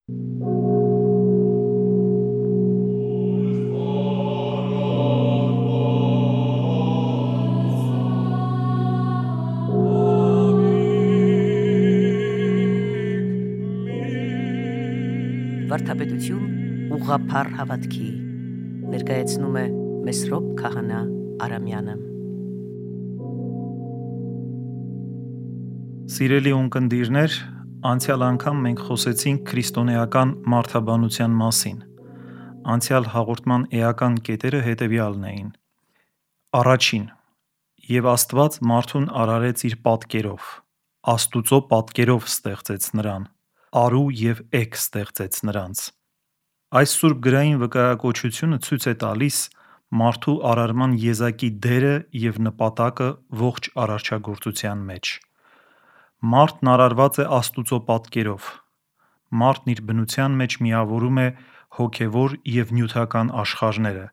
Վարդապետություն ուղղափառ հավատքի ներկայացնում է Մեսրոպ Քահանա Արամյանը։ Սիրելի ունկնդիրներ, անցյալ անգամ մենք խոսեցինք քրիստոնեական մարդաբանության մասին։ Անցյալ հաղորդման էական կետերը հետևյալն էին. Առաջին, եւ Աստված մարդուն արարեց իր պատկերով, Աստուծո պատկերով ստեղծեց նրան, արու եւ էգ ստեղծեց նրանց։ Այս սուրբ գրային վկայակոչությունը ցույց է տալիս մարդու արարման եզակի դերը եւ նպատակը ողջ արարչագործության մեջ։ Մարդն արարված է Աստուծո պատկերով։ Մարդն իր բնության մեջ միավորում է հոգևոր եւ նյութական աշխարհները։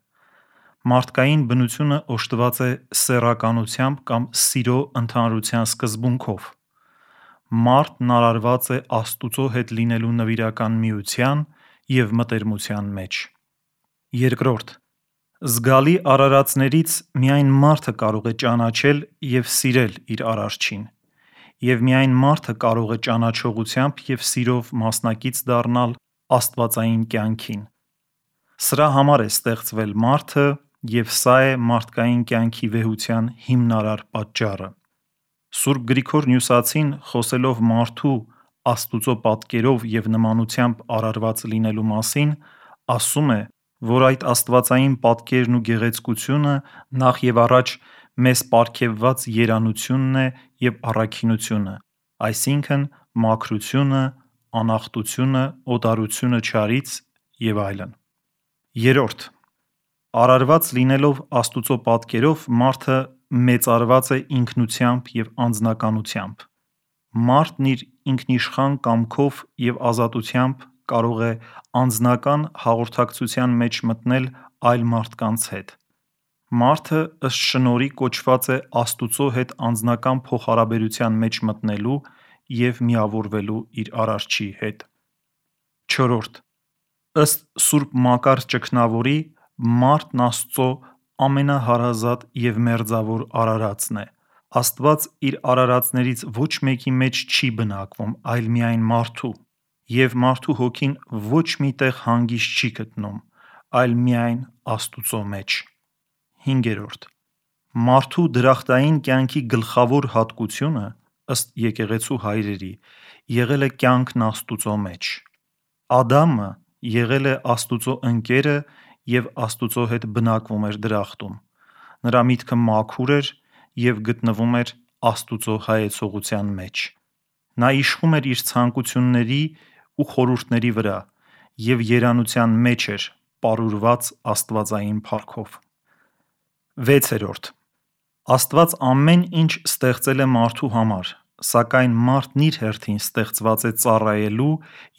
Մարդկային բնությունը օժտված է սեռականությամբ կամ սիրո ընդհանրության սկզբունքով։ Մարդն արարված է Աստուծո հետ լինելու նվիրական միության եւ մտերմության մեջ։ Երկրորդ, զգալի արարածներից միայն մարդը կարող է ճանաչել եւ սիրել իր արարչին, եւ միայն մարդը կարող է ճանաչողությամբ եւ սիրով մասնակից դառնալ աստվածային կյանքին։ Սրա համար է ստեղծվել մարդը եւ սա է մարդկային կյանքի վեհության հիմնարար պատճառը։ Սուրբ Գրիգոր Նյուսացին, խոսելով մարդու Աստուծո պատկերով եւ նմանությամբ արարված լինելու մասին, ասում է, որ այդ աստվածային պատկերն ու գեղեցկությունը նախ եւ առաջ մեզ պարգևված երանությունն է եւ առաքինությունը, այսինքն մաքրությունը, անախտությունը, օտարությունը չարից եւ այլն։ Երրորդ, արարված լինելով Աստուծո պատկերով մարդը մեծարված է ինքնությամբ եւ անձնականությամբ։ Մարդն իր ինքնիշխան կամքով եւ ազատությամբ կարող է անձնական հաղորդակցության մեջ մտնել այլ մարդկանց հետ։ Մարդը ըստ շնորհի կոչված է Աստուծո հետ անձնական փոխհարաբերության մեջ մտնելու եւ միավորվելու իր արարչի հետ։ Չորրորդ, ըստ Սուրբ Մակար Ճգնավորի, մարդն Աստծո ամենահարազատ եւ մերձավոր արարածն է։ Աստված իր արարածներից ոչ մեկի մեջ չի բնակվում, այլ միայն մարդու, եւ մարդու հոգին ոչ մի տեղ հանգիստ չի գտնում, այլ միայն Աստուծո մեջ։ Հինգերորդ, մարդու դրախտային կյանքի գլխավոր հատկությունը, ըստ եկեղեցու հայրերի, եղել է կյանքն Աստուծո մեջ։ Ադամը եղել է Աստուծո ընկերը եւ Աստուծո հետ բնակվում էր դրախտում։ Նրա միտքը մաքուր էր եւ գտնվում էր Աստուծո հայեցողության մեջ։ Նա իշխում էր իր ցանկությունների ու խորհուրդների վրա եւ երանության մեջ էր, պարուրված աստվածային փառքով։ 6. Աստված ամեն ինչ ստեղծել է մարդու համար, սակայն մարդն իր հերթին ստեղծված է ծառայելու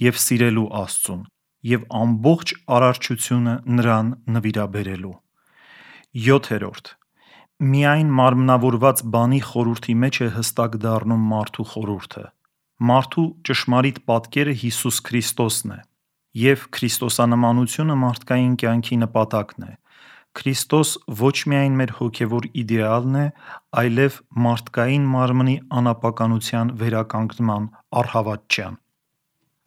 եւ սիրելու Աստծուն եւ ամբողջ արարչությունը նրան նվիրաբերելու։ 7. Միայն մարմնավորված բանի խորհրդի մեջ է հստակ դառնում մարդու խորհուրդը։ Մարդու ճշմարիտ պատկերը Հիսուս Քրիստոսն է, եւ քրիստոսանմանությունը մարդկային կյանքի նպատակն է։ Քրիստոս ոչ միայն մեր հոգևոր իդեալն է, այլև մարդկային մարմնի անապականության վերականգնման առհավատչյան։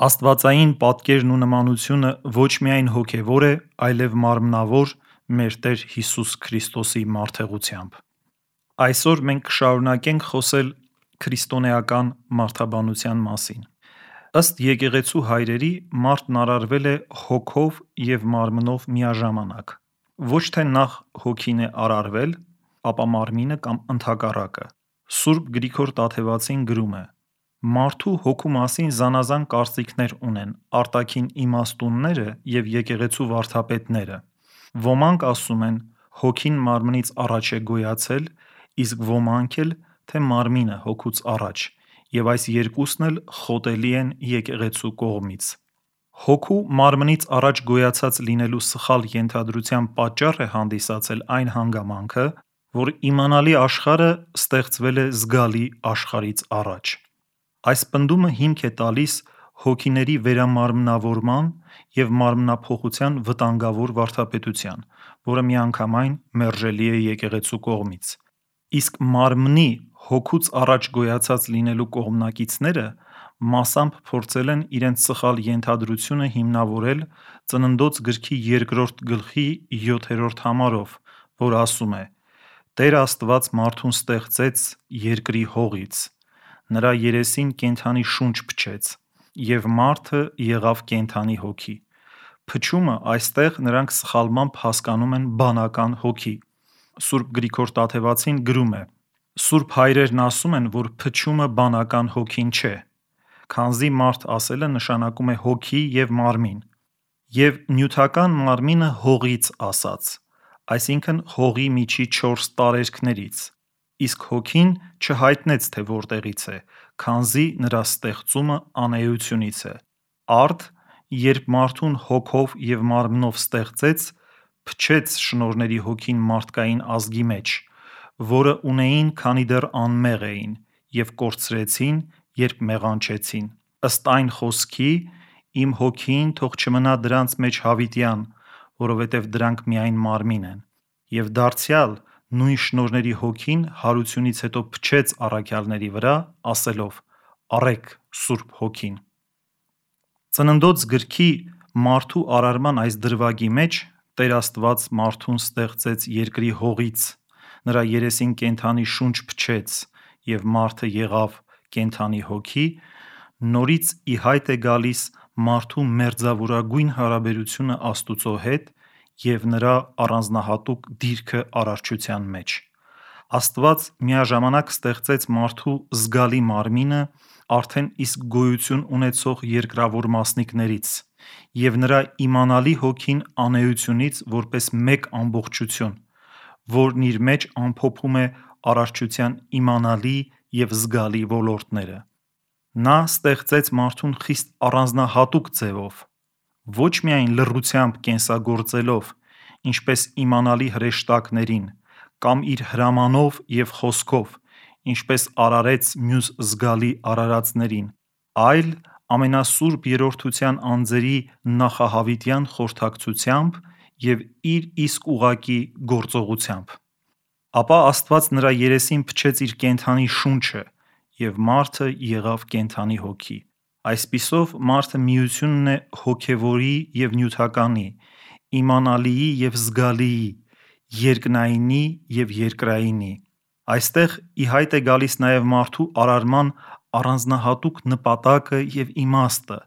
Աստվածային պատկերն ու նմանությունը ոչ միայն հոգևոր է, այլև մարմնավոր մեր Տեր Հիսուս Քրիստոսի մարդեղությամբ։ Այսօր մենք կշարունակենք խոսել քրիստոնեական մարդաբանության մասին։ Ըստ եկեղեցու հայրերի, մարդն արարվել է հոգով եւ մարմնով միաժամանակ։ Ոչ թե նախ հոգին է արարվել, ապա մարմինը կամ ընդհակառակը։ Սուրբ Գրիգոր Տաթևացին գրում է. Մարդու հոգու մասին զանազան կարծիքներ ունեն արտաքին իմաստունները եւ եկեղեցու վարդապետները։ Ոմանք ասում են, հոգին մարմնից առաջ է գոյացել, իսկ ոմանք էլ, թե մարմինը հոգուց առաջ, եւ այս երկուսն էլ խոտելի են եկեղեցու կողմից։ Հոգու մարմնից առաջ գոյացած լինելու սխալ ենթադրության պատճառ է հանդիսացել այն հանգամանքը, որ իմանալի աշխարհը ստեղծվել է զգալի աշխարհից առաջ։ Այս պնդումը հիմք է տալիս հոգիների վերամարմնավորման և մարմնափոխության վտանգավոր վարդապետության, որը միանգամայն մերժելի է եկեղեցու կողմից։ Իսկ մարմնի հոգուց առաջ գոյացած լինելու կողմնակիցները մասամբ փորձել են իրենց սխալ ենթադրությունը հիմնավորել Ծննդոց գրքի 2-րդ գլխի 7-րդ համարով, որ ասում է. «Տեր Աստված մարդուն ստեղծեց երկրի հողից, նրա երեսին կենդանի շունչ փչեց, և մարդը եղավ կենդանի հոգի»։ Փչումը այստեղ նրանք սխալմամբ հասկանում են բանական հոգի։ Սուրբ Գրիգոր Տաթևացին գրում է. «Սուրբ հայրերն ասում են, որ փչումը բանական հոգին չէ, քանզի մարդ ասելը նշանակում է հոգի և մարմին, և նյութական մարմինը հողից ասաց, այսինքն հողի միջի 4 տարերքներից, իսկ հոգին չհայտնեց, թե որտեղից է, քանզի նրա ստեղծումը անէությունից է։ Արդ, երբ մարդուն հոգով և մարմնով ստեղծեց, փչեց շնորհների հոգին մարդկային ազգի մեջ, որը ունեին, քանի դեռ անմեղ էին, և կորցրեցին, երբ մեղանչեցին։ Ըստ այն խոսքի. «Իմ հոգին թող չմնա դրանց մեջ հավիտյան, որովհետև դրանք միայն մարմին են»։ Եվ դարձյալ նույն շնորհների հոգին հարությունից հետո փչեց առաքյալների վրա, ասելով. «Առեք Սուրբ Հոգին»։ Ծննդոց գրքի մարդու արարման այս դրվագի մեջ Տեր Աստված մարդուն ստեղծեց երկրի հողից, նրա երեսին կենդանի շունչ փչեց, և մարդը եղավ կենդանի հոգի, նորից ի հայտ է գալիս մարդու մերձավորագույն հարաբերությունը Աստուծո հետ և նրա առանձնահատուկ դիրքը արարչության մեջ։ Աստված միաժամանակ ստեղծեց մարդու զգալի մարմինը արդեն իսկ գոյություն ունեցող երկրավոր մասնիկներից և նրա իմանալի հոգին անէությունից որպես մեկ ամբողջություն, որն իր մեջ ամփոփում է արարչության իմանալի և զգալի ոլորտները։ Նա ստեղծեց մարդուն խիստ առանձնահատուկ ձևով, ոչ միայն լռությամբ կենսագործելով, ինչպես իմանալի հրեշտակներին, կամ իր հրամանով և խոսքով, ինչպես արարեց մյուս զգալի արարածներին, այլ ամենասուրբ երրորդության անձերի նախահավիտյան խորհրդակցությամբ և իր իսկ ուղղակի գործողությամբ։ Ապա Աստված նրա երեսին փչեց իր կենդանի շունչը, և մարդը եղավ կենդանի հոգի։ Այսպիսով մարդը միությունն է հոգևորի և նյութականի, իմանալիի և զգալիի, երկնայինի և երկրայինի։ Այստեղ ի հայտ է գալիս նաև մարդու արարման առանձնահատուկ նպատակը և իմաստը։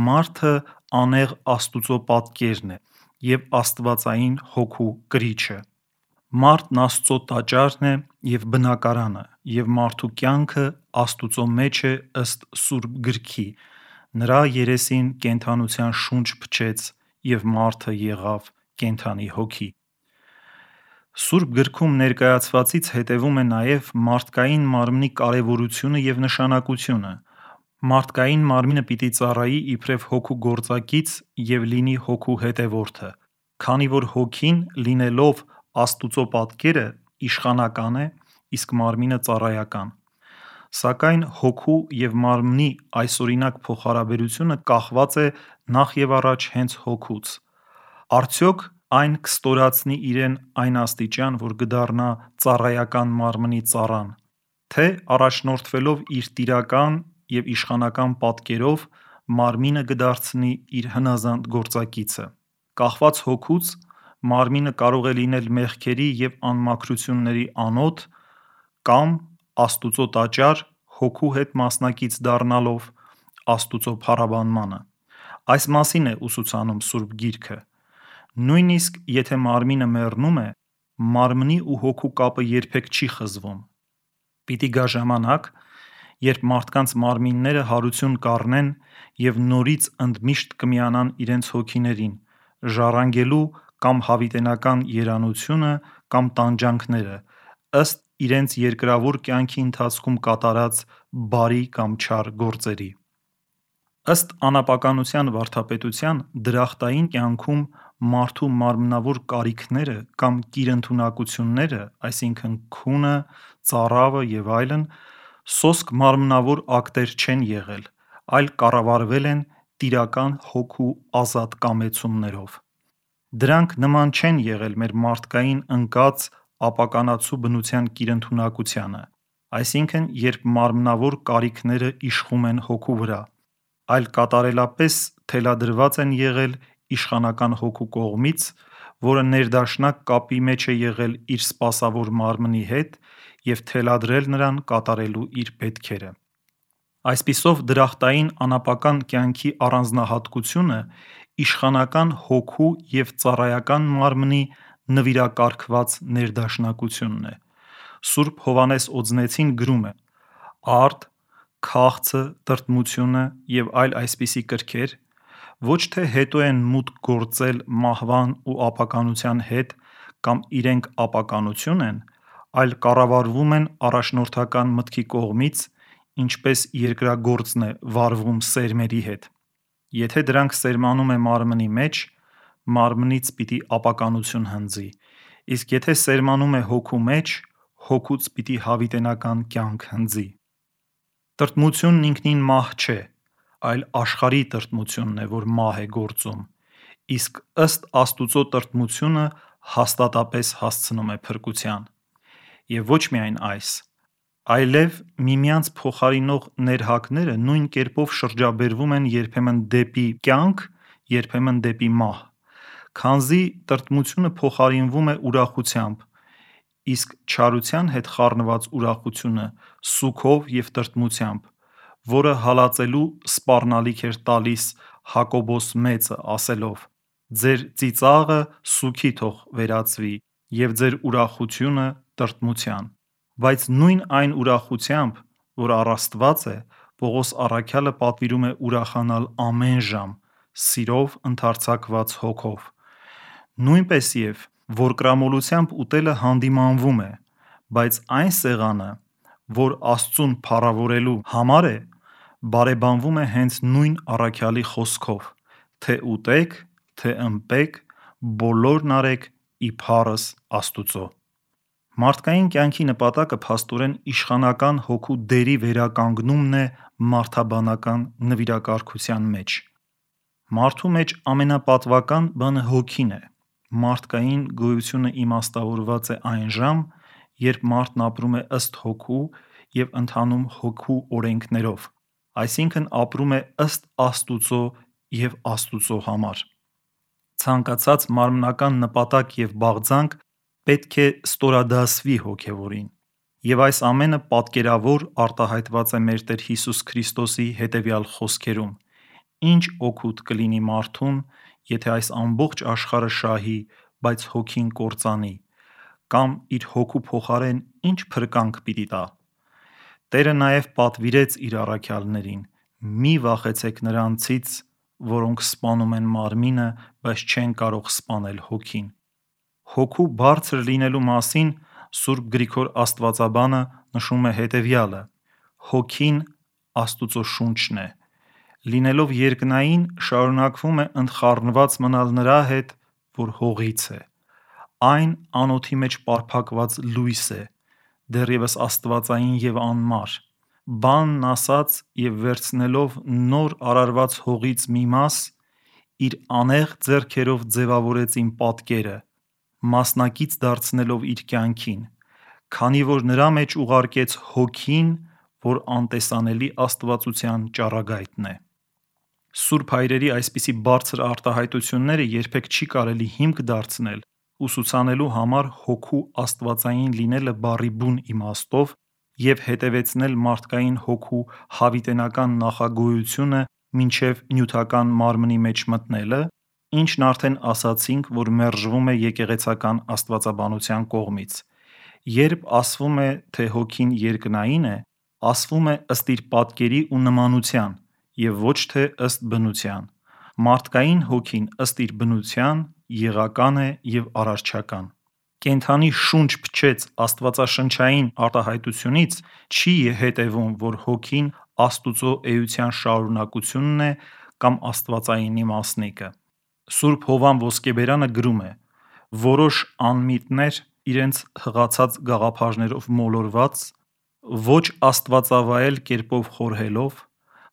Մարդը անեղ Աստուծո պատկերն է և աստվածային հոգու կրիչը։ Մարդն Աստծո տաճարն է և բնակարանը, և մարդու կյանքը Աստուծո մեջ է ըստ Սուրբ Գրքի. «Նրա երեսին կենդանության շունչ փչեց, և մարդը եղավ կենդանի հոգի»։ Սուրբ Գրքում ներկայացվածից հետևում է նաև մարդկային մարմնի կարևորությունը և նշանակությունը։ Մարդկային մարմինը պիտի ծառայի իբրև հոգու գործակից և լինի հոգու հետևորդը, քանի որ հոգին, լինելով Աստուծո պատկերը, իշխանական է, իսկ մարմինը ծառայական։ Սակայն հոգու և մարմնի այսօրինակ փոխհարաբերությունը կախված է նախևառաջ հենց հոգուց։ Արդյոք այն կստորացնի իրեն այն աստիճան, որ կդառնա ծառայական մարմնի ծառան, թե առաջնորդվելով իր տիրական և իշխանական պատկերով մարմինը կդարձնի իր հնազանդ գործակիցը։ Կախված հոգուց մարմինը կարող է լինել մեղքերի և անմաքրությունների անոթ կամ Աստուծո տաճար՝ հոգու հետ մասնակից դառնալով Աստուծո փառաբանմանը։ Այս մասին է ուսուցանում Սուրբ Գիրքը։ Նույնիսկ եթե մարմինը մեռնում է, մարմնի ու հոգու կապը երբեք չի խզվում։ Պիտի գա ժամանակ, երբ մարդկանց մարմինները հարություն կառնեն և նորից ընդմիշտ կմիանան իրենց հոգիներին՝ ժառանգելու կամ հավիտենական երանությունը, կամ տանջանքները, ըստ իրենց երկրավոր կյանքի ընթացքում կատարած բարի կամ չար գործերի։ Ըստ անապականության վարդապետության՝ դրախտային կյանքում մարդու մարմնավոր կարիքները կամ կիրընդունակությունները, այսինքն՝ քունը, ծարավը և այլն, սոսկ մարմնավոր ակտեր չեն եղել, այլ կառավարվել են տիրական հոգու ազատ կամեցումներով։ Դրանք նման չեն եղել մեր մարդկային ընկած ապականացու բնության կիրընդունակությանը, այսինքն երբ մարմնավոր կարիքները իշխում են հոգու վրա, այլ կատարելապես թելադրված են եղել իշխանական հոգու կողմից, որը ներդաշնակ կապի մեջ է եղել իր սպասավոր մարմնի հետ և թելադրել նրան կատարելու իր պետքերը։ Այսպիսով դրախտային անապական կյանքի առանձնահատկությունը իշխանական հոգու և ծառայական մարմնի նվիրակարգված ներդաշնակությունն է։ Սուրբ Հովհաննես Օձնեցին գրում է. «Արդ, քաղցը, տրտմությունը և այլ այսպիսի կրքեր ոչ թե հետո են մուտք գործել մահվան ու ապականության հետ կամ իրենք ապականություն են, այլ կառավարվում են առաջնորդական մտքի կողմից, ինչպես երկրագործն է վարվում սերմերի հետ։ Եթե դրանք սերմանում է մարմնի մեջ, մարմնից պիտի ապականություն հնձի, իսկ եթե սերմանում է հոգու մեջ, հոգուց պիտի հավիտենական կյանք հնձի»։ Տրտմությունն ինքնին մահ չէ, այլ աշխարհի տրտմությունն է, որ մահ է գործում, իսկ ըստ Աստուծո տրտմությունը հաստատապես հասցնում է փրկության։ Եվ ոչ միայն այս, այլև միմյանց փոխարինող ներհակները նույն կերպով շրջաբերվում են երբեմն դեպի կյանք, երբեմն դեպի մահ։ Քանզի տրտմությունը փոխարինվում է ուրախությամբ, իսկ չարության հետ խառնված ուրախությունը սուգով և տրտմությամբ, որը հալածելու սպառնալիք էր տալիս Հակոբոս մեծը, ասելով. «Ձեր ծիծաղը սուգի թող վերածվի, և ձեր ուրախությունը տրտմության»։ Բայց նույն այն ուրախությամբ, որ առ Աստված է, Պողոս առաքյալը պատվիրում է ուրախանալ ամեն ժամ, սիրով ընդարձակված հոգով։ Նույնպես և որկրամոլությամբ ուտելը հանդիմանվում է, բայց այն սեղանը, որ Աստծուն փառավորելու համար է, բարեբանվում է հենց նույն առաքյալի խոսքով. «Թե ուտեք, թե ըմպեք, բոլորն արեք ի փառս Աստուծո»։ Մարդկային կյանքի նպատակը փաստորեն իշխանական հոգու դերի վերականգնումն է մարդաբանական նվիրակարգության մեջ։ Մարդու մեջ ամենապատվական բանը հոգին է։ Մարդկային գոյությունը իմաստավորված է այն ժամ, երբ մարդն ապրում է ըստ հոգու և ընթանում հոգու օրենքներով, այսինքն ապրում է ըստ Աստուծո և Աստուծո համար։ Ցանկացած մարմնական նպատակ և բաղձանք պետք է ստորադասվի հոգևորին։ Եվ այս ամենը պատկերավոր արտահայտված է մեր Տեր Հիսուս Քրիստոսի հետևյալ խոսքերում. «Ինչ օգուտ կլինի մարդուն, եթե այս ամբողջ աշխարհը շահի, բայց հոգին կործանի, կամ իր հոգու փոխարեն ինչ փրկանք պիտի տա»։ Տերը նաև պատվիրեց իր առաքյալներին. «Մի վախեցեք նրանցից, որոնք սպանում են մարմինը, բայց չեն կարող սպանել հոգին»։ Հոգու բարձր լինելու մասին Սուրբ Գրիգոր Աստվածաբանը նշում է հետևյալը. «Հոգին Աստուծո շունչն է, լինելով երկնային, շարունակվում է ընդխառնված մնալ նրա հետ, որ հողից է։ Այն անոթի մեջ պարփակված լույս է, դեռևս աստվածային և անմար։ Բանն ասաց և վերցնելով նոր արարված հողից մի մաս, իր անեղծ ձեռքերով ձևավորեց իմ պատկերը, մասնակից դարձնելով իր կյանքին, քանի որ նրա մեջ ուղարկեց Հոգին, որ անտեսանելի աստվածության ճառագայթն է»։ Սուրբ Հայրերի այսպիսի բարձր արտահայտությունները երբեք չի կարելի հիմք դարձնել ուսուցանելու համար հոգու աստվածային լինելը բառի բուն իմաստով և հետևեցնել մարդկային հոգու հավիտենական նախագոյությունը մինչև նյութական մարմնի մեջ մտնելը, ինչն արդեն ասացինք, որ մերժվում է եկեղեցական աստվածաբանության կողմից։ Երբ ասվում է, թե հոգին երկնային է, ասվում է ըստ իր պատկերի ու նմանության և ոչ թե ըստ բնության։ Մարդկային հոգին ըստ իր բնության եղական է և արարչական։ Կենդանի շունչ փչեց աստվածաշնչային արտահայտությունից չի հետևում, որ հոգին Աստուծո էության շարունակությունն է կամ աստվածայինի մասնիկը։ Սուրբ Հովհան Ոսկեբերանը գրում է. «Որոշ անմիտներ, իրենց հղացած գաղափարներով մոլորված, ոչ աստվածավայել կերպով խորհելով,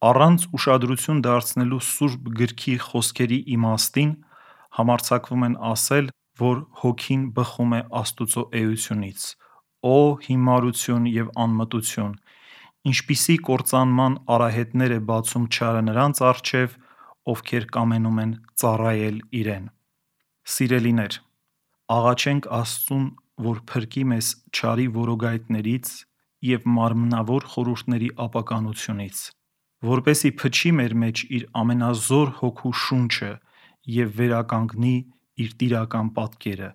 Առանց ուշադրություն դարձնելու Սուրբ գրքի խոսքերի իմաստին համարձակվում են ասել, որ հոգին բխում է Աստծո էությունից։ Օ հիմարություն և անմտություն, ինչպիսի կործանման արահետներ է բացում չարը նրանց առջև, ովքեր կամենում են ծառայել իրեն։ Սիրելիներ, աղաչենք Աստծուն, որ փրկի մեզ չարի որոգայթներից և մարմնավոր խորհուրդների ապականությունից, որպեսզի փչի մեր մեջ իր ամենազոր Հոգու շունչը և վերականգնի իր տիրական պատկերը,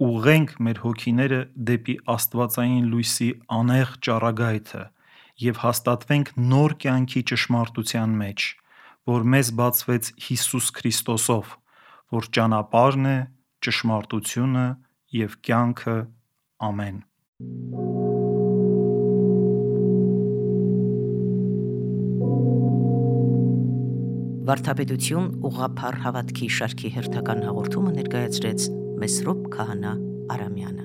ուղղենք մեր հոգիները դեպի աստվածային լույսի անեղ ճառագայթը և հաստատվենք նոր կյանքի ճշմարտության մեջ, որ մեզ բացվեց Հիսուս Քրիստոսով, որ ճանապարհն է, ճշմարտությունը և կյանքը։ Ամեն։ Վարդապետություն ուղղափառ հավատքի շարքի հերթական հաղորդումը ներկայացրեց Մեսրոպ Քահանա Արամյանը։